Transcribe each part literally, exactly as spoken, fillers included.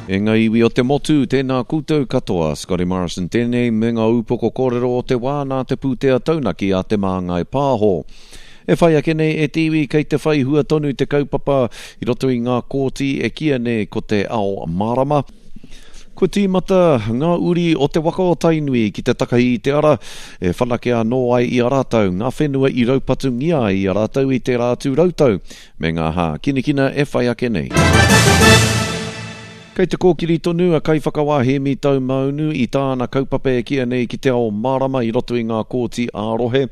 E ngā iwi o te motu, tēnā koutou katoa, Scotty Morrison tēnei me ngā upoko kōrero o te wā nā te pūtea taunaki a Te Māngai Pāho. E whai ake nei e te iwi kei te whai hua tonu te kaupapa i roto i ngā kōti e kīia nei ko te ao mārama. Kua tīmata ngā uri o te waka o Tainui ki te takahi i te ara e whanake anō ai i a rātou ngā whenua i raupatungia ai i a rātou i tērā atu rautau me ngā hākinakina e whai ake nei. Kei te kōkiri tonu a Kaiwhakawā Hēmi Taumaunu i tāna kaupapa e kīia nei ki te ao mārama i roto i ngā kōti ā-rohe.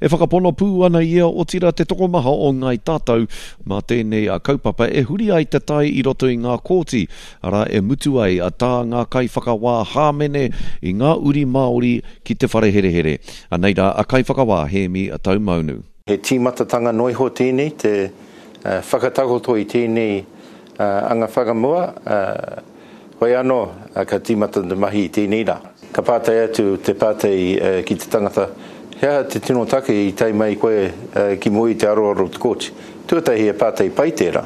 E whakapono pū ana ia otirā te tokomaha o Ngāi Tātou mā tēnei kaupapa e huri ai te tai i roto i ngā kōti, arā e mutu ai tā ngā kaiwhakawā hāmene i ngā uri Māori ki te whare herehere. Anei rā a Kaiwhakawā Hēmi Taumaunu. He tīmatatanga noa iho tēnei, te whakatakoto i tēnei anga whakamua, hoi anō ka tīmata te mahi i tēnei rā. Ka pātai atu te pātai ki te tangata, he aha te tino take i tae mai koe ki mua i te aroaro o te kōti? Tuatahi he pātai pai tērā.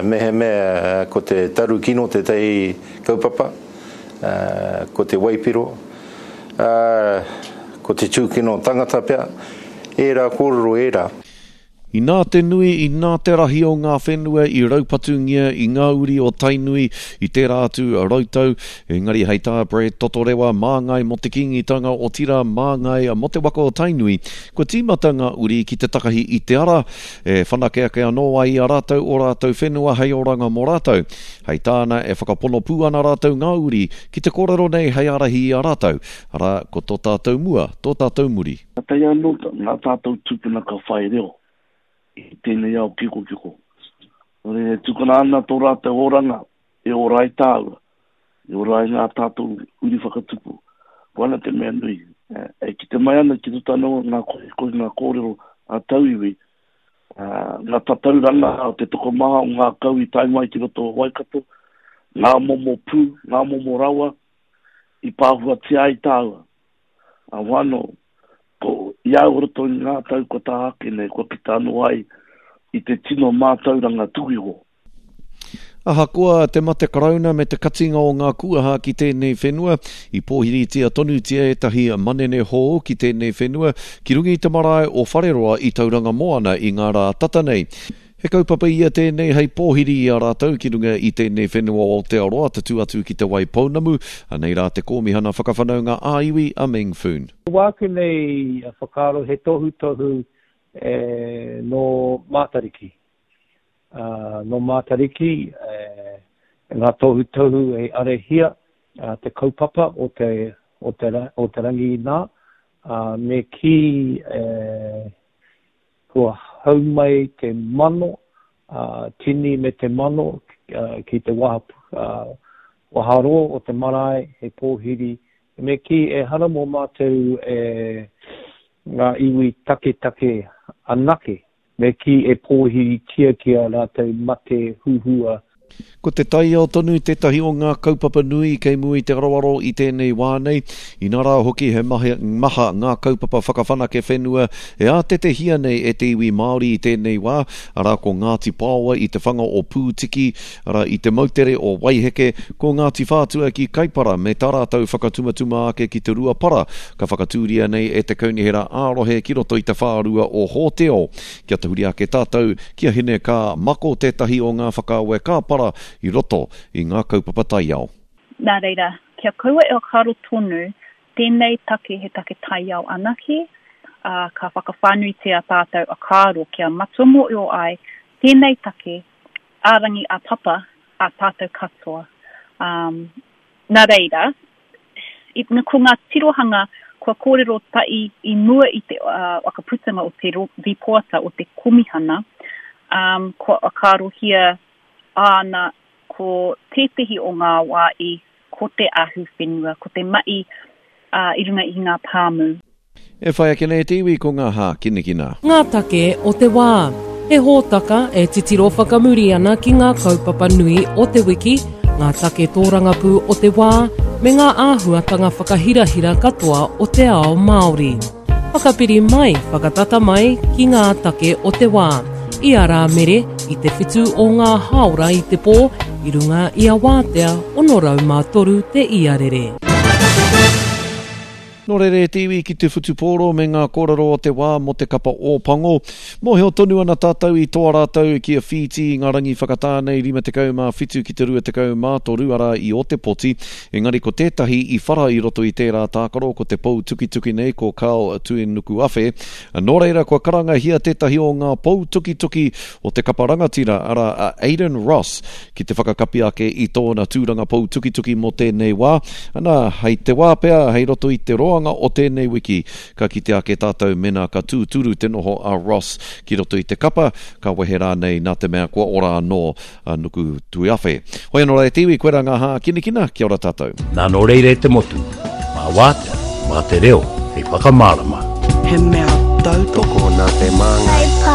Mehemea ko te taru kino tētahi kaupapa, ko te waipiro, ko te tūkino tangata pea, ērā kōrero ērā. Inā te nui, inā te rahi o ngā whenua i raupatungia i ngā uri o Tainui i tērā atu rautau, engari hei tā Brad Totorewa māngai mō te Kīngitanga otirā māngai mō te waka o Tainui, kua tīmata ngā uri ki te takahi i te ara, e whanake ake anō ai i a rātou o rātou whenua hei oranga mō rātou. Hei tāna e whakapono pū ana rātou ngā uri ki te kōrero nei hei ārahi i a rātou, arā, ko tō tātou mua, tō tātou muri. Kātahi anō ngā tātou tūpuna ka whai reo i tēnei ao kikokiko. Nō reira, e tukuna ana tō rātou oranga e ora ai tāua, e ora ai ngā tātou uri whakatupu. Ko ana te mea nui, e kite mai ana ki roto anō ngā kohikohi, ngā kōrero a tauiwi, ngā tatauranga o te tokomaha o ngā kau i tae mai ki roto o Waikato, ngā momo pū, ngā momo rawa i pāhuatia ai tāua. A wano, ko i au roto i ngā tau kua tā ake nei, kua kita anō ai i te tino mātauranga tuku iho. Ahakoa te mate karauna me te katinga o ngā kuaha ki tēnei whenua, i pōhiritia tonutia ētahi manene hou ki tēnei whenua ki runga i te marae o Whareroa i Tauranga Moana i ngā rā tata nei. He kaupapa ia tēnei hei pōhiri i a rātou ki runga i tēnei whenua o Aotearoa tatū atu ki Te Waipounamu, anei rā te Kōmihana Whakawhanaunga ā-Iwi a Meng Foon. Wāku nei whakaaro he tohutohu e nō Mātariki. Uh, nō Mātariki, e, ngā tohutohu e arahia uh, te kaupapa o te, o te, o te rangi nā, uh, me ki e, kua hau mai te mano, uh, tini me te mano uh, ki te waha, uh, waharoa o te marae, he pōhiri. Me ki e hara mō mātou e ngā iwi taketake anake, me ki e pōhiritia ki a rātou mate huhua. Ko te taiao tonu tētahi o ngā kaupapa nui kei mua i te aroaro i tēnei wā nei, inā rā hoki he maha, maha ngā kaupapa whakawhanake whenua e ātetehia nei e te iwi Māori i tēnei wā, arā ko Ngāti Paoa i te whanga o Pūtiki, arā i te moutere o Waiheke, ko Ngāti Whātua ki Kaipara me tā rātou whakatumatuma ake ki te Ruapara, ka whakatūria nei e te Kaunihera ā-rohe ki roto i te whārua o Hōteo. Kia tahuri ake tātou ki a Hine Ka Mako tētahi o ngā whakaawe kāpara i roto i ngā kaupapa taiao. Nā reira, kia kaua e whakaaro tonu, tēnei take he take taiao anake, ā, ka whakawhānuitia tātou whakaaro kia matua mōhio ai tēnei take ā-rangi ā-papa a tātou katoa. Um, nā reira, i, ko ngā tirohanga kua kōrero tahi i mua i te uh, whakaputanga o te rīpoata o te komihana, um, kua whakaarohia āna ko tētehi o ngā wā i ko te ahu whenua, ko te mahi uh, i runga i ngā pāmu. E whai ake nei te iwi ko ngā hākinakina. Ngā take o te wā. He hōtaka e titiro whakamuri ana ki ngā kaupapa nui o te wiki, ngā take tōrangapū o te wā, me ngā āhuatanga whakahirahira katoa o te ao Māori. Whakapiri mai, whakatata mai ki ngā take o te wā. I a Rāmere, i te whitu o ngā hāora i te pō, i runga i a Wātea ono rau mā toru te iarere. Nō reira e te iwi ki te whutupōro me ngā kōrero o te wā mō te kapa Ōpango. Mōhio tonu ana tātou i toa rātou ki a Whītī i ngā rangi whakatā nei rima tekau mā whitu ki te rua tekau mā toru arā i Ōtepoti. Engari ko tētahi i whara i roto i tērā tākaro ko te pou tukituki nei ko Karl Tuinukuafe. Nō reira kua karangahia tētahi o ngā pou tukituki o te kapa rangatira arā a Aidan Ross ki te whakakapi ake i tōna tūranga pou tukituki mō tēnei wā. Ana, hei te wā pea, hei roto i te roa o tēnei wiki, ka kite ake tātou mena ka tūturu te noho a Ross ki roto i te kapa, ka wehe rānei nā te mea kua ora anō a Nuku Tuiafe. Hoi anō rā e te iwi, koe rā ngā hākinakina, kia ora tātou. Nā nō reira e te motu, mā wātea, mā te reo, hei whakamārama. He mea tautoko nā te māngai.